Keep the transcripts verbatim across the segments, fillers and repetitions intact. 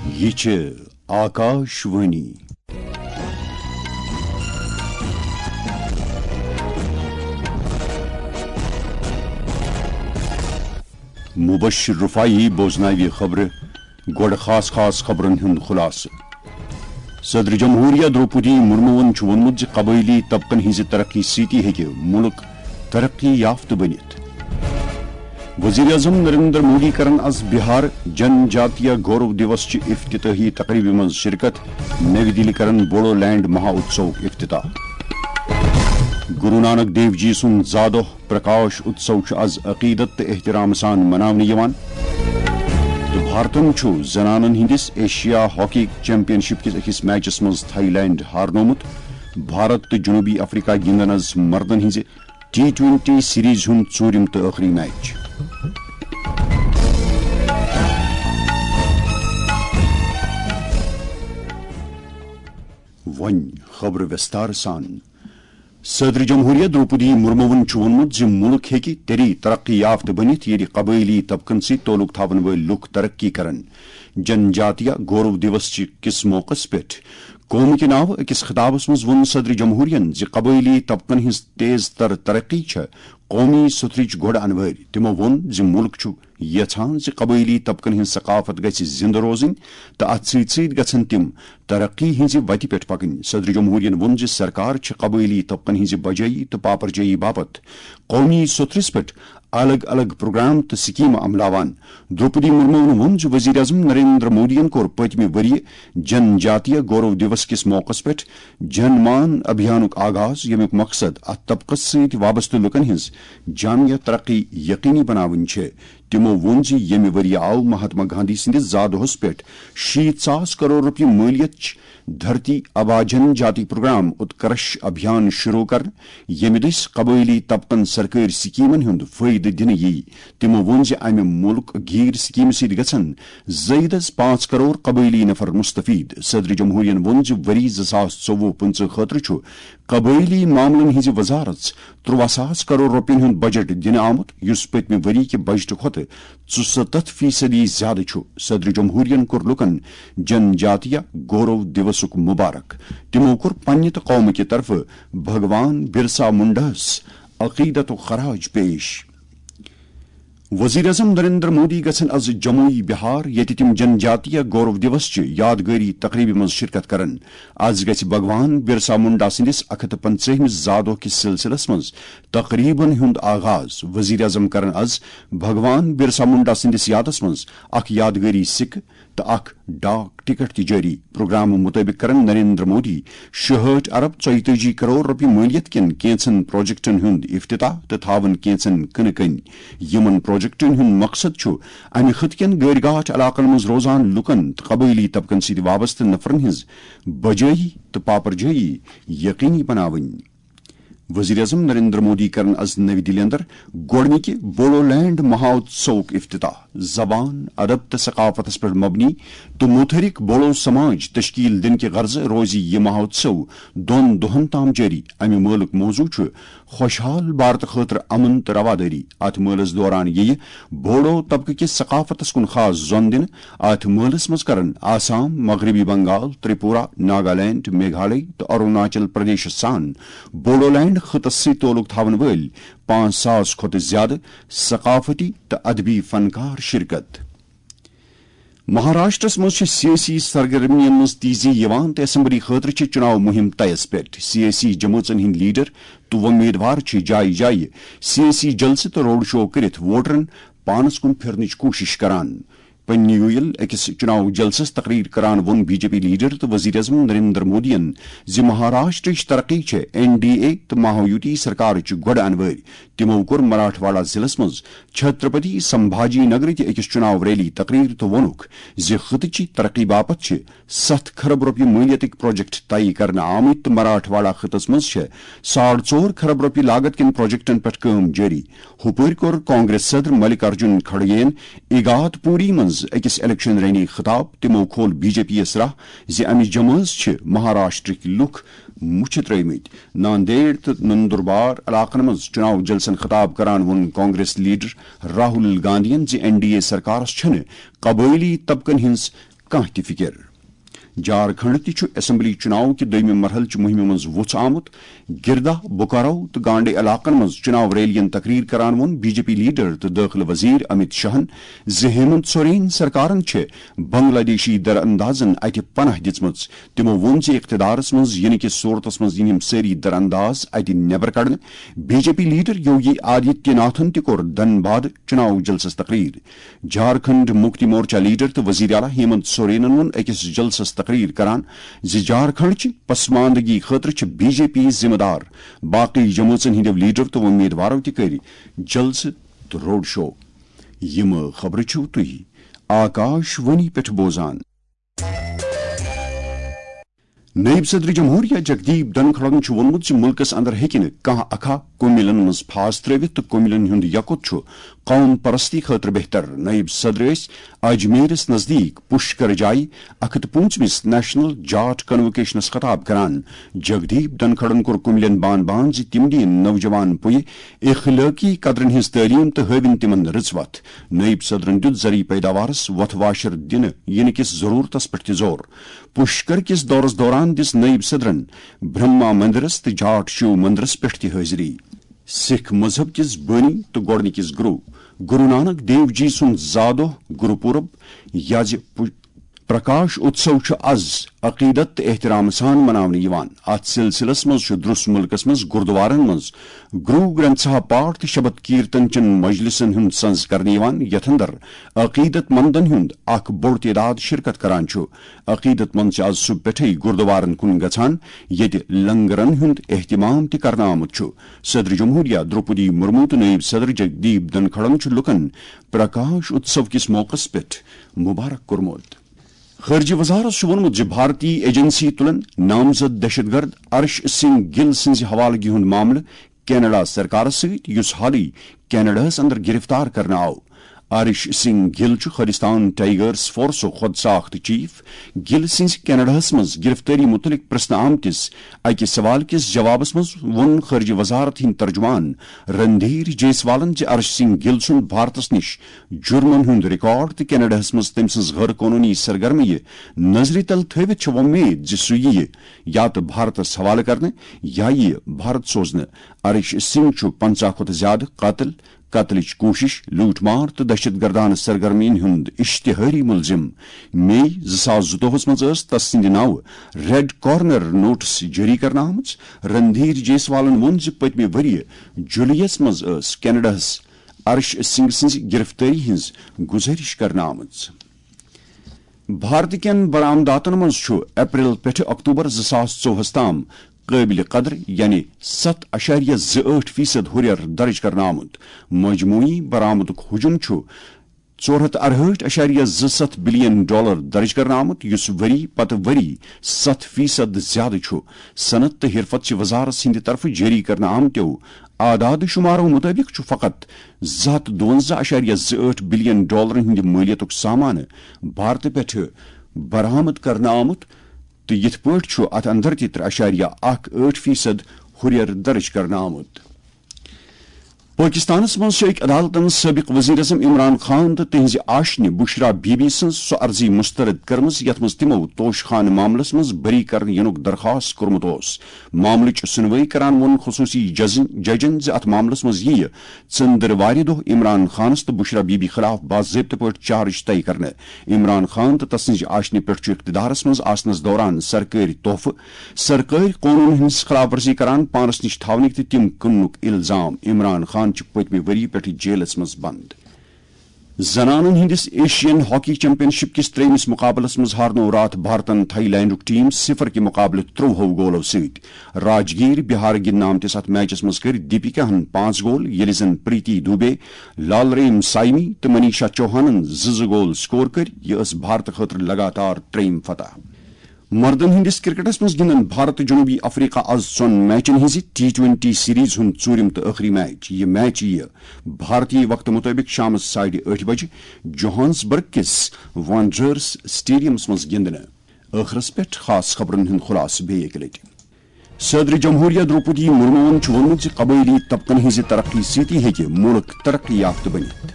یہ چھِ آکاش وانی۔ مبشر رفاعی بوزناوِ خبرٕ۔ گۄڈٕ خاص خاص خبرن ہُنٛد خلاصہٕ۔ صدر جمہوریہ درٛوپدی مرموہن چھُ ووٚنمُت زِ قبٲئلی طبقن ہٕنٛزِ ترقی سۭتی ہیٚکہِ مُلک ترقی یافتہٕ بٔنِتھ۔ وزیر اعظم نریندر مودی کرن از بہار جن جاتیہ گورو دیوس چہِ افتتاحی تقریبہِ منٛز شرکت۔ نوی دِلی کرن بوڈو لینڈ مہا اتسوک افتتاح۔ گرو نانک دیو جی سُنٛد زادۄہ پرکاش اتسو چھُ از عقیدت تہٕ احترام سان مناونہٕ یِوان۔ تہٕ بھارتن چھُ زنانن ہٕنٛدِس ایشیا ہاکی چیمپین شپ کِس أکِس میچس منٛز تھائی لینڈ ہارنومُت۔ بھارت تہٕ جنوبی افریقہ گِنٛدن از مردن ہٕنٛزِ ٹی ٹوینٹی سیریز ہُنٛد ژوٗرِم تہٕ ٲخری میچ۔ وۄنۍ خبرٕ وِستار سان۔ صدر جمہوریہ درٛوپدی مرموہن چھُ ووٚنمُت زِ مُلک ہیٚکہِ تیٚلی ترقی یافتہٕ بٔنِتھ، ییٚلہِ قبٲئلی طبقن سۭتۍ تعلق تھاون وٲلۍ لُکھ ترقی کرن۔ جن جاتیہ گورو دیوس چہِ کِس موقعس پٮ۪ٹھ قوم کہِ ناوٕ أکِس خطابس منٛز ووٚن صدر جمہوریہن زِ قبٲئلی طبقن ہٕنٛز تیز تر ترقی چھےٚ قومی سُتھرٕچ گۄڈٕ انوٲرۍ۔ تِمو ووٚن زِ مُلک چھُ یژھان زِ قبٲئلی طبقن ہٕنٛز ثقافت گژھِ زِنٛدٕ روزٕنۍ تہٕ اتھ سۭتۍ سۭتۍ گژھن تِم ترقی ہٕنٛزِ وتہِ پٮ۪ٹھ پکٕنۍ۔ صدر جمہوریہن ووٚن زِ سرکار چھِ قبٲئلی طبقن ہٕنٛزِ بجٲیی تہٕ پاپرجٲیی باپتھ قومی سُتھرِس پٮ۪ٹھ الگ الگ پروگرام تہٕ سکیمہٕ عملاوان۔ درٛوپدی مرموہن ووٚن زِ وزیر اعظم نریندر مودیَن کوٚر پٔتمہِ ؤریہِ جن جاتیہ گورو دیوس کِس موقعس پٮ۪ٹھ جن مان ابھیانُک آغاز، ییٚمیُک مقصد اتھ طبقس سۭتۍ وابستہٕ لوٗکن ہٕنٛز جامع ترقی یقینی بناوٕنۍ چھِ۔ تِمو ووٚن زِ ییٚمہِ ؤریہِ آو مہاتما گاندھی سٕنٛدِس زا دۄہس پٮ۪ٹھ شیٖتھ ساس کرور رۄپیہِ مٲلیت چہِ دھرتی آبا جن جاتی پروگرام اتکرش ابھیان شروع کرنہٕ، ییٚمہِ دٔسۍ قبٲئلی طبقن سرکٲرۍ سکیمن ہُنٛد فٲیدٕ دِنہٕ یِیہِ۔ تِمو ووٚن زِ امہِ مُلک گیٖر سکیمہِ سۭتۍ گژھن زٲیدس پانٛژھ کرور قبٲئلی نفر مستفید۔ صدر جمہوریہن ووٚن زِ ؤری زٕ ساس ژوٚوُہ پٕنٛژٕہ خٲطرٕ چھُ قبٲئلی معاملن ہٕنٛزِ وزارژ ترٛواہ ساس کرور رۄپین ہُنٛد بجٹ دِنہٕ آمُت، یُس پٔتمہِ ؤری کہِ بجٹہٕ کھۄتہٕ ژُستتھ فیصدی زیادٕ چھُ۔ صدر جمہوریہن کوٚر لوٗکن جن جاتیہ گورو دیوسُک مبارک۔ تِمو کوٚر پننہِ تہٕ قومہٕ کہِ طرفہٕ بھگوان برسا منڈاہس عقیدتُک خراج پیش۔ وزیر اعظم نریندر مودی گژھن از جموئی بہار، ییٚتہِ تِم جن جاتیہ گورو دیوس چہِ یادگٲری تقریبہِ منٛز شرکت کرن۔ از گژھِ بھگوان برسا منڈا سٕنٛدِس اکھ ہتھ پنژٲہمِس زا دۄہ کِس سلسلس منٛز تقریبن ہُنٛد آغاز۔ وزیر اعظم کرن از بھگوان برسا منڈا سٕنٛدِس یادس منٛز اکھ یادگٲری سکہٕ تہٕ اکھ ڈاک ٹکٹ تہِ جٲری۔ پروگرامہٕ مُطٲبِق کرن نریندر مودی شُہٲٹھ ارب ژۄیتٲجی کرور رۄپیہِ مٲلیت کٮ۪ن کینٛژن پروجیکٹن ہُنٛد افتتاح تہٕ تھاون کینٛژن کٕنہٕ کٔنۍ۔ یِمن پروجیکٹن ہُنٛد مقصد چھُ امہِ خطہٕ کٮ۪ن گٲرۍ گاٹھ علاقن منٛز روزان لوٗکن تہٕ قبٲئلی طبقن سۭتۍ وابستہٕ نفرن ہٕنٛز بجٲیی تہٕ پاپرجٲیی یقینی بناوٕنۍ۔ وزیر اعظم نریندر مودی کرن از نوی دِلہِ اندر گۄڈنِکہِ بوڈو لینڈ مہا اتسوک افتتاح۔ زبان، ادب تہٕ ثقافتس پٮ۪ٹھ مبنی تہٕ متحرک بوڈو سماج تشکیل دِنہٕ کہِ غرضہٕ روزِ یہِ مہا اتسو دۄن دۄہن تام جٲری۔ امہِ مٲلُک موضوع چھُ خوشحال بھارت خٲطرٕ امن تہٕ روادٲری۔ اتھ مٲلس دوران یِیہِ بوڈو طبقہٕ کِس ثقافتس کُن خاص زۄن دِنہٕ۔ اتھ مٲلس منٛز کرن آسام، مغربی بنگال، تریپورہ، ناگالینڈ، میگھالے تہٕ اروناچل پردیشس سان بوڈولینڈ خطس سۭتۍ تعلق تھاون وٲلۍ پانٛژھ ساس کھۄتہٕ زیادٕ ثقافتی تہٕ ادبی فنکار شرکت۔ مہاراشٹرس منٛز چھِ سیٲسی سرگرمیَن منٛز تیزی یِوان تہٕ اسمبلی خٲطرٕ چھِ چُناو مُہِم طیَس پٮ۪ٹھ۔ سیٲسی جمٲژن ہٕنٛدۍ لیڈر تہٕ وۄمیدوار چھِ جایہِ جایہِ سیٲسی جلسہٕ تہٕ روڈ شو کٔرِتھ ووٹرن پانس کُن پھِرنٕچ کوٗشش کران۔ پننہِ یویل أکِس چُناو جلسس تقریر کران ووٚن بی جے پی لیڈر تہٕ وزیر اعظم نریندر مودیَن زِ مہاراشٹرٕچ ترقی چھےٚ این ڈی اے تہٕ مہایوتی سرکارٕچ گۄڈٕ انوٲرۍ۔ تِمو کوٚر مراٹھواڑہ ضلعس منٛز چھترپتی سمبھاجی نگرٕچ أکِس چُناو ریلی تقریر تہٕ ووٚنُکھ زِ خطہٕ چہِ ترقی باپتھ چھِ ستھ کھرب رۄپیہِ مٲلیتٕکۍ پروجیکٹ طے کرنہٕ آمٕتۍ تہٕ مراٹھواڑہ خطس منٛز چھےٚ ساڑ ژور کھرب رۄپیہِ لاگت کٮ۪ن پروجیکٹن پٮ۪ٹھ کٲم جٲری۔ ہُپٲرۍ کوٚر کانگریس صدر ملک ارجن کھڑگے یَن ایگات پوری منٛز أکِس الیکشن ریلی خطاب۔ تِمو کھول بی جے پی یَس راہ زِ اَمِچ جمٲژ چھِ مہاراشٹرٕکۍ لُکھ مُچھِ ترٲومٕتۍ۔ ناندیڑ تہٕ نندربار علاقن منٛز چُناو جلسن خطاب کران ووٚن کانگریس لیڈر راہل گاندھی یَن زِ این ڈی اے سرکارس چھنہٕ قبٲئلی طبقن ہٕنٛز کانٛہہ تہِ فکر۔ جھارکھنڈ تہِ چھُ اسمبلی چُناو کہِ دوٚیمہِ مرحلہٕ چہِ مُہِمہِ منٛز وُژھ آمُت۔ گردا، بوکارو تہٕ گانڈے علاقن منٛز چُناو ریلین تقریر کران ووٚن بی جے پی لیڈر تہٕ دٲخلہٕ وزیر امیت شاہن زِ ہیمنت سورین سرکارن چھِ بنگلہ دیشی در اندازن اتہِ پناہ دِژمٕژ۔ تِمو ووٚن زِ اقتدارس منٛز یِنہٕ کِس صورتس منٛز یِن یِم سٲری در انداز اتہِ نٮ۪بر کڑنہٕ۔ بی جے پی لیڈر یوگی آدتیہ ناتھن تہِ کوٚر دھنباد چُناو جلسس تقریر۔ جھارکھنڈ مکتی مورچہ لیڈر تہٕ وزیر اعلیٰ ہیمنت سورینن ووٚن أکِس جلسس تقریر کران زِ جھارکھنڈ چہِ پسماندگی خٲطرٕ چھِ بی جے پی ذمہٕ دار۔ باقٕے جمٲژن ہٕنٛدیو لیڈرو تہٕ امیدوارو تہِ کٔرۍ جلسہٕ تہٕ روڈ شو۔ یِم خبرٕ چھِو تُہۍ آکاش وانی پٮ۪ٹھ بوزان۔ نائب صدر جمہوریہ جگدیپ دھنکھڑن چھُ ووٚنمُت زِ مُلکس اندر ہیٚکہِ نہٕ کانٛہہ اکھا کُمِلن منٛز پھاس ترٲوِتھ تہٕ کُمِلن ہُنٛد یکُت چھُ قوم پرستی خٲطرٕ بہتر۔ نائب صدر ٲسۍ اجمیرس نزدیٖک پُشکر جایہِ اکھ ہتھ پوٗنٛژمِس نیشنل جاٹ کنووکیشنس خطاب کران۔ جگدیپ دھنکھڑن کوٚر کُمِلٮ۪ن بان بان زِ تِم دِیِن نوجوان پُیہِ اخلٲقی قدرن ہٕنٛز تعلیٖم تہٕ ہٲوِن تِمن رٕژ وتھ۔ نائب صدرن دیُت زرعی پیداوارس وۄتھٕ واشر دِنہٕ یِنہٕ کِس ضروٗرتس پٮ۪ٹھ تہِ زور۔ پُشکر کِس دورس دوران دِژ نائب صدرن برہما مندرس تہٕ جاٹ شیو مندرس پٮ۪ٹھ تہِ حٲضری۔ سکھ مذہب کِس بٲنی تہٕ گۄڈٕنِکِس گرو، گرو نانک دیو جی سُنٛد زا دۄہ گرو پورب یا زِ پُ-، پرکاش اتسو چھُ از عقیدت تہٕ احترام سان مناونہٕ یِوان۔ اتھ سلسلس منٛز چھُ درس مُلکس منٛز گردوارن منٛز گرو گرنتھ صاحب پاٹھ تہٕ شبد کیرتن چٮ۪ن مجلسن ہُنٛد سنز کرنہٕ یِوان، یتھ اندر عقیدت مندن ہُنٛد اکھ بوٚڑ تعداد شرکت کران چھُ۔ عقیدت مند چھِ از صبح پٮ۪ٹھٕے گردوارن کُن گژھان، ییٚتہِ لنگرن ہُنٛد اہتمام تہِ کرنہٕ آمُت چھُ۔ صدر جمہوریہ درٛوپدی مرمو تہٕ نائب صدر جگدیپ دھنکھڑن چھُ لوٗکن پرکاش اتسو کِس موقعس پٮ۪ٹھ مبارک کوٚرمُت۔ خارجہ وزارت چھُ ووٚنمُت زِ بھارتی ایجنسی تُلن نامزد دہشت گرد ارش سنگھ گل سٕنٛزِ حوالگی ہُنٛد معاملہٕ کینیڈا سرکارس سۭتۍ، یُس حالٕے کینیڈاہس اندر گرفتار کرنہٕ آو۔ ارش سنگھ گل چھُ خالستان ٹائیگرز فورسُک خود ساخت چیف۔ گل سٕنٛزِ کینیڈاہس منٛز گرفتٲری مُتعلق پرژھنہٕ آمتِس اکہِ سوال کِس جوابس منٛز ووٚن خارجہ وزارت ہٕنٛدۍ ترجمان رندھیر جیسوالن زِ ارش سنگھ گل سُنٛد بھارتس نِش جُرمن ہُنٛد ریکارڈ تہٕ کینیڈاہس منٛز تٔمۍ سٕنٛز غٲر قونوٗنی سرگرمی نظرِ تل تھٲوِتھ چھِ وۄمید زِ سُہ یِیہِ یا تہٕ بھارتس حوالہٕ کرنہٕ یا یِیہِ بھارت سوزنہٕ۔ ارش سنگھ چھُ پنژاہ کھۄتہٕ زیادٕ قتل، قتلٕچ کوٗشش، لوٗٹھ مار تہٕ دہشت گردانہٕ سرگرمین ہُنٛد اشتہٲری ملزم۔ مئی زٕ ساس زٕتووُہس منٛز ٲس تس سٕنٛدِ ناوٕ ریڈ کارنر نوٹس جٲری کرنہٕ آمٕژ۔ رندھیر جیسوالن ووٚن زِ پٔتمہِ ؤرۍ یہِ جُلائیس منٛز ٲس کینیڈاہس ارش سنگھ سٕنٛزِ گرفتٲری ہٕنٛز گُزٲرِش کرنہٕ آمٕژ۔ بھارت کٮ۪ن برآمداتن منٛز چھُ اپریل پٮ۪ٹھٕ اکتوبر زٕ ساس ژوٚوُہس تام قٲبلِ قدر، یعنی ستھ اعشاریہ زٕ ٲٹھ فیصد ہُرٮ۪ر درٕج کرنہٕ آمُت۔ مجموعی برآمدُک حجم چھُ ژور ہتھ ارہٲٹھ اعشاریہ زٕ ستھ بلین ڈالر درٕج کرنہٕ آمُت، یُس ؤری پتہٕ ؤری ستھ فیصد زیادٕ چھُ۔ صنعت تہٕ حرفت چہِ وزارت سٕنٛدِ طرفہٕ جٲری کرنہٕ آمتیو اعداد و شمارو مُطٲبِق چھُ فقط زٕ ہتھ دُوَنزاہ اعشاریہ زٕ ٲٹھ بلین ڈالرن ہٕنٛدِ مٲلیتُک سامانہٕ بھارتہٕ پٮ۪ٹھٕ برآمد کرنہٕ آمُت، تہٕ یِتھ پٲٹھۍ چھُ اتھ اندر تہِ ترٛےٚ اعشاریہ اکھ ٲٹھ فیصد ہُرٮ۪ر درٕج کرنہٕ آمُت۔ پٲکِستانَس منٛز چھِ أکۍ عدالتَن سٲبِق ؤزیٖر اعظم عمران خان تہٕ تِہنٛزِ آشنہِ بشرا بی بی سٕنٛز سۄ عرضی مسترد کٔرمٕژ، یَتھ منٛز تِمَو توشہٕ خانہٕ معاملَس منٛز بٔری کرنہٕ یِنُک درخواست کوٚرمُت اوس۔ معاملٕچ سُنوٲیی کران ووٚن خصوٗصی جزن-، ججن زِ اَتھ معاملَس منٛز یِیہِ ژٔنٛدٕروارِ دۄہ عمران خانَس تہٕ بشرا بی بی خلاف باضٲبطہٕ پٲٹھۍ چارج طے کرنہٕ۔ عمران خان تہٕ تسٕنٛزِ آشنہِ پٮ۪ٹھ چھُ اقتدارَس منٛز آسنَس دوران سرکٲرۍ تحفہٕ، سرکٲرۍ قونوٗن ہٕنٛز خلاف ورزی کران پانس نِش تھاونٕکۍ تہٕ تِم کٕننُک الزام۔ عمران خان چھُ پٔتمہِ ؤری پٮ۪ٹھٕ جیلس منٛز بند۔ زنانن ہٕنٛدِس ایشین ہاکی چیمپین شپ کِس ترٛیٚیمِس مقابلس منٛز ہارنوو راتھ بھارتن تھائی لینڈُک ٹیم صفر کہِ مقابلہٕ ترٛوہو گولو سۭتۍ۔ راجگیر بہار گِنٛدنہٕ آمتِس اتھ میچس منٛز کٔرۍ دیپیکاہن پانٛژھ گول، ییٚلہِ زن پریتی دوبے، لالریم سایمی تہٕ منیشا چوہانن زٕ زٕ گول سکور کٔرۍ۔ یہِ ٲس بھارتہٕ خٲطرٕ لگاتار ترٛیٚیِم فتح۔ مردن ہٕنٛدِس کرکٹس منٛز گِنٛدن بھارت تہٕ جنوبی افریقہ از ژۄن میچن ہٕنٛزِ ٹی ٹوئنٹی سیریز ہُنٛد ژوٗرِم تہٕ ٲخری میچ۔ یہِ میچ یِیہِ بھارتی وقتہٕ مُطٲبِق شامس ساڑِ ٲٹھِ بجہِ جوہانسبرگ کِس وانڈررز سٹیڈیمس منٛز گِنٛدنہٕ۔ ٲخرس پٮ۪ٹھ خاص خبرن ہُنٛد خلاصہٕ بیٚیہِ اَکہِ لٹہِ۔ صدر جمہوریہ درٛوپدی مرموہن چھُ ووٚنمُت زِ قبٲئلی طبقن ہٕنٛزِ ترقی سۭتی ہیٚکہِ مُلک ترقی یافتہٕ بٔنِتھ۔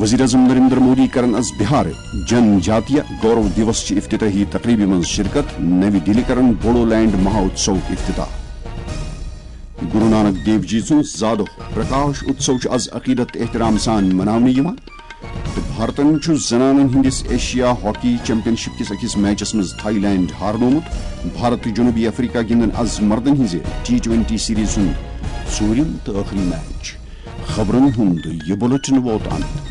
وزیر اعظم نریندر مودی کرن از بہار جن جاتیہ گورو دیوس چہِ افتتاحی تقریبہِ منٛز شرکت، نوِ دِلہِ کرن بوڈو لینڈ مہا اتسوُک افتتاح۔ گرو نانک دیو جی سُنٛد زادۄہ پرکاش اتسو چھُ از عقیدت تہٕ احترام سان مناونہٕ یِوان تہٕ بھارتن چھُ زنانن ہٕنٛدِس ایشیا ہاکی چیمپین شپ کِس أکِس میچس منٛز تھائی لینڈ ہارنومُت۔ بھارت تہٕ جنوبی افریقہ گِنٛدن از مردن ہٕنٛزِ ٹی ٹوینٹی سیریز ہُنٛد ژوٗرِم تہٕ ٲخری میچ۔ خبرن ہُنٛد یہِ بُلٹن ووت انت۔